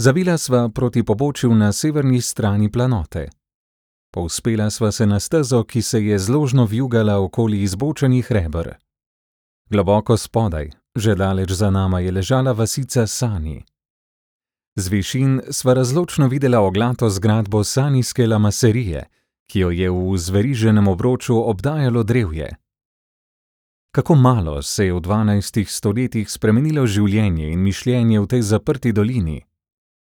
Zavila sva proti pobočju na severni strani planote. Povzpela sva se na stezo, ki se je zložno vijugala okoli izbočenih reber. Globoko spodaj, že daleč za nama, je ležala vasica Sani. Z višin sva razločno videla oglato zgradbo sanijske lamaserije, ki jo je v zveriženem obroču obdajalo drevje. Kako malo se je v 12 stoletjih spremenilo življenje in mišljenje v tej zaprti dolini.